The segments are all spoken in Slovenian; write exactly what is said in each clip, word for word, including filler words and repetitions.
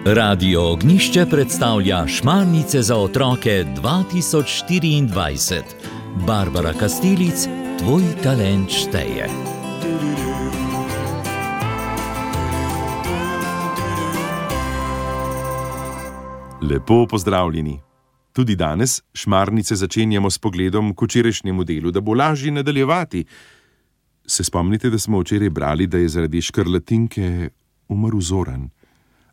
Radio Ognjišče predstavlja Šmarnice za otroke dva tisoč štiriindvajset. Barbara Kastelic, tvoj talent šteje. Lepo pozdravljeni. Tudi danes Šmarnice začenjamo s pogledom k včerajšnjemu delu, da bo lažje nadaljevati. Se spomnite, da smo včeraj brali, da je zaradi škrlatinke umrl Zoran,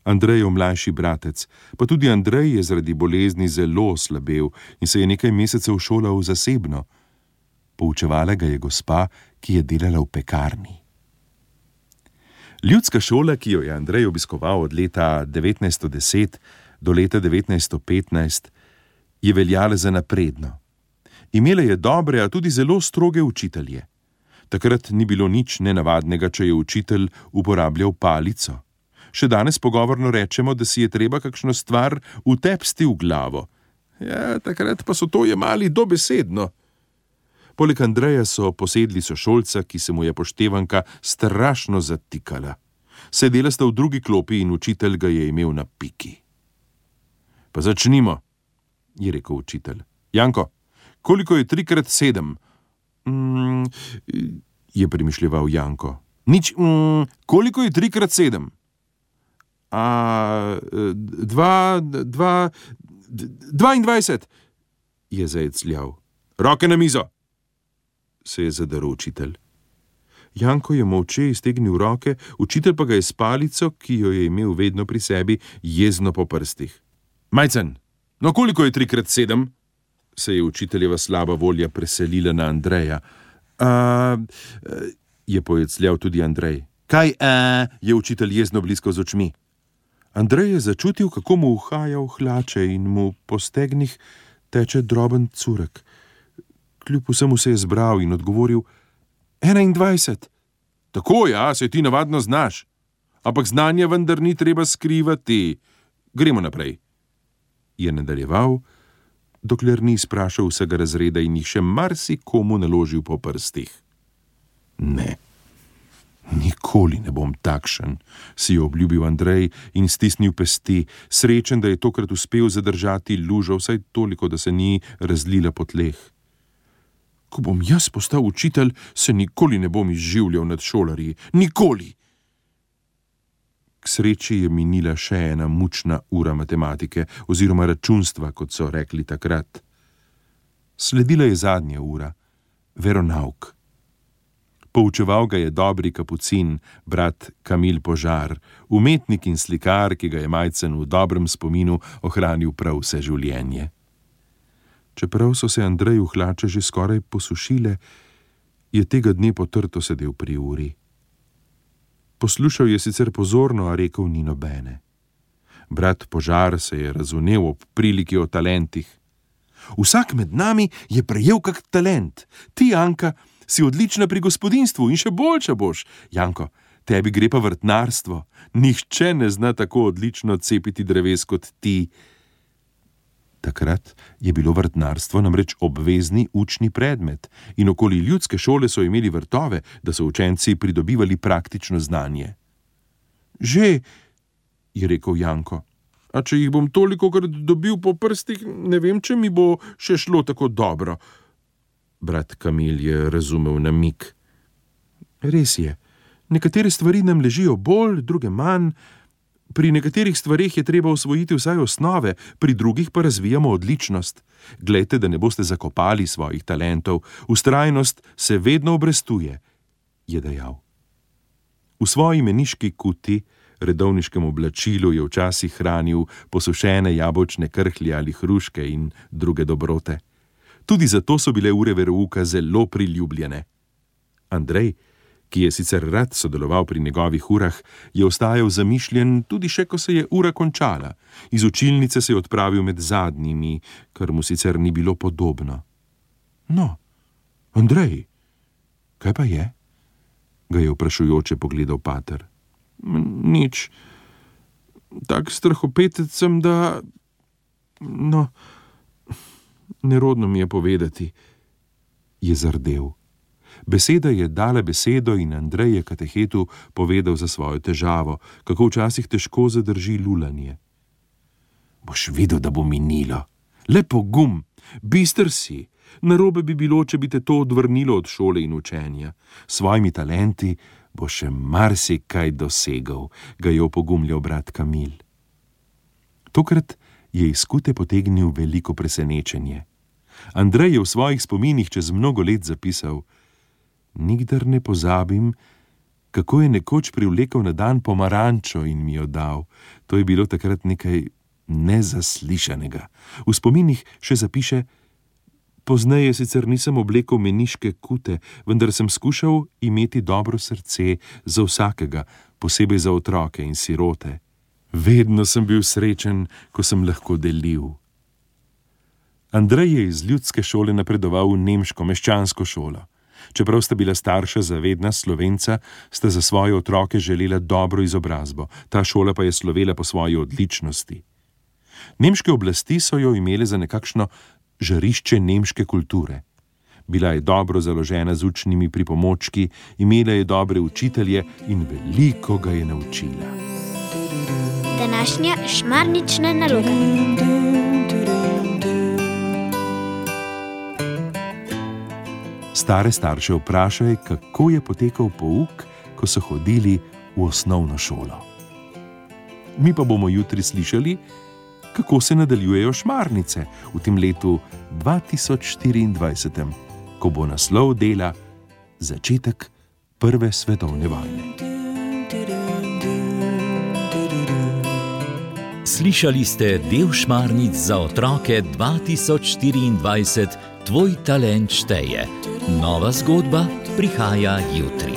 Andrejev mlajši bratec, pa tudi Andrej je zaradi bolezni zelo oslabel in se je nekaj mesecev šolal zasebno. Poučevala ga je gospa, ki je delala v pekarni. Ljudska šola, ki jo je Andrej obiskoval od leta devetnajststo deset do leta devetnajststo petnajst, je veljala za napredno. Imela je dobre, a tudi zelo stroge učitelje. Takrat ni bilo nič nenavadnega, če je učitelj uporabljal palico. Še danes pogovorno rečemo, da si je treba kakšno stvar utepsti v glavo. Ja, takrat pa so to jemali dobesedno. Poleg Andreja so posedli sošolca, ki se mu je poštevanka strašno zatikala. Sedela sta v drugi klopi in učitelj ga je imel na piki. Pa začnimo, je rekel učitelj. Janko, koliko je trikrat sedem? Mm, je premišljeval Janko. Nič, mm, koliko je trikrat sedem? A, dva, dva, dvaindvajset, je zajecljal. Roke na mizo, se je zadaril učitelj. Janko je molče iztegnil roke, učitelj pa ga je s palico, ki jo je imel vedno pri sebi, jezno po prstih. Majcen, no koliko je trikrat sedem? Se je učiteljeva slaba volja preselila na Andreja. A, je pojecljal tudi Andrej. Kaj, a, je učitelj jezno bliskal z očmi. Andrej je začutil, kako mu uhaja v hlače in mu po stegnih teče droben curek. Kljub vsemu se je zbral in odgovoril, enaindvajset. Tako, ja, se ti navadno znaš. Ampak znanje vendar ni treba skrivati. Gremo naprej. Je nadaljeval, dokler ni sprašal vsega razreda in jih še marsikomu naložil po prstih. Ne. Nikoli ne bom takšen, si je obljubil Andrej in stisnil pesti, srečen, da je tokrat uspel zadržati lužo, vsaj toliko, da se ni razlila po tleh. Ko bom jaz postal učitelj, se nikoli ne bom izživljal nad šolarji. Nikoli! K sreči je minila še ena mučna ura matematike oziroma računstva, kot so rekli takrat. Sledila je zadnja ura, veronauk. Poučeval ga je dobri kapucin, brat Kamil Požar, umetnik in slikar, ki ga je Majcen v dobrem spominu ohranil prav vse življenje. Čeprav so se Andreju hlače že skoraj posušile, je tega dne potrto sedel pri uri. Poslušal je sicer pozorno, a rekel ni nobene. Brat Požar se je razvnel ob priliki o talentih. Vsak med nami je prejel kak talent. Ti, Anka, si odlična pri gospodinjstvu in še boljša boš. Janko, tebi gre pa vrtnarstvo. Nihče ne zna tako odlično cepiti dreves kot ti. Takrat je bilo vrtnarstvo namreč obvezni učni predmet in okoli ljudske šole so imeli vrtove, da so učenci pridobivali praktično znanje. Že, je rekel Janko, a če jih bom tolikokrat dobil po prstih, ne vem, če mi bo še šlo tako dobro. Brat Kamil je razumel namig. Res je, nekatere stvari nam ležijo bolj, druge manj. Pri nekaterih stvareh je treba osvojiti vsaj osnove, pri drugih pa razvijamo odličnost. Glejte, da ne boste zakopali svojih talentov. Vztrajnost se vedno obrestuje, je dejal. V svoji meniški kuti, redovniškem oblačilu, je včasih hranil posušene jabolčne krhlje ali hruške in druge dobrote. Tudi zato so bile ure verouka zelo priljubljene. Andrej, ki je sicer rad sodeloval pri njegovih urah, je ostajal zamišljen tudi še, ko se je ura končala. Iz učilnice se je odpravil med zadnjimi, kar mu sicer ni bilo podobno. No, Andrej, kaj pa je? Ga je vprašujoče pogledal pater. Nič. Tak strahopetec sem, da... No... Nerodno mi je povedati, je zardel. Beseda je dala besedo in Andrej je katehetu povedal za svojo težavo, kako včasih težko zadrži lulanje. Boš videl, da bo minilo. Le pogum, bister si. Narobe bi bilo, če bi te to odvrnilo od šole in učenja. S svojimi talenti bo še marsikaj dosegal, ga je opogumljal brat Kamil. Tokrat je iz skute potegnil veliko presenečenje. Andrej je v svojih spominih čez mnogo let zapisal: Nikdar ne pozabim, kako je nekoč privlekel na dan pomarančo in mi jo dal. To je bilo takrat nekaj nezaslišanega. V spominih še zapiše: Pozneje sicer nisem oblekel meniške kute, vendar sem skušal imeti dobro srce za vsakega, posebej za otroke in sirote. Vedno sem bil srečen, ko sem lahko delil. Andrej je iz ljudske šole napredoval v nemško meščansko šolo. Čeprav sta bila starša zavedna Slovenca, sta za svoje otroke želela dobro izobrazbo. Ta šola pa je slovela po svoji odličnosti. Nemške oblasti so jo imele za nekakšno žarišče nemške kulture. Bila je dobro založena z učnimi pripomočki, imela je dobre učitelje in veliko ga je naučila. Današnja šmarnična naloga. Stare starše vprašaj, kako je potekal pouk, ko so hodili v osnovno šolo. Mi pa bomo jutri slišali, kako se nadaljujejo šmarnice v tem letu dva tisoč štiriindvajset, ko bo naslov dela Začetek prve svetovne vojne. Slišali ste del šmarnic za otroke dva tisoč štiriindvajset, Tvoj talent šteje. Nova zgodba prihaja jutri.